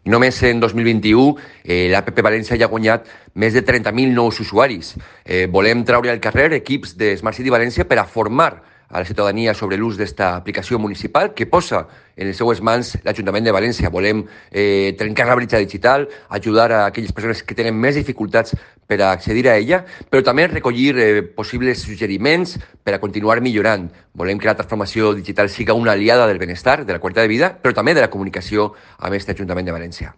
I només en 2021 l'APP València ja ha guanyat més de 30.000 nous usuaris. Volem treure al carrer equips de Smart City València per a formar a la ciutadania sobre l'ús d'esta aplicació municipal que posa en les seues mans l'Ajuntament de València. Volem trencar la bretxa digital, ajudar a aquelles persones que tenen més dificultats per a accedir a ella, però també recollir possibles suggeriments per a continuar millorant. Volem que la transformació digital siga una aliada del benestar, de la qualitat de vida, però també de la comunicació amb aquest Ajuntament de València.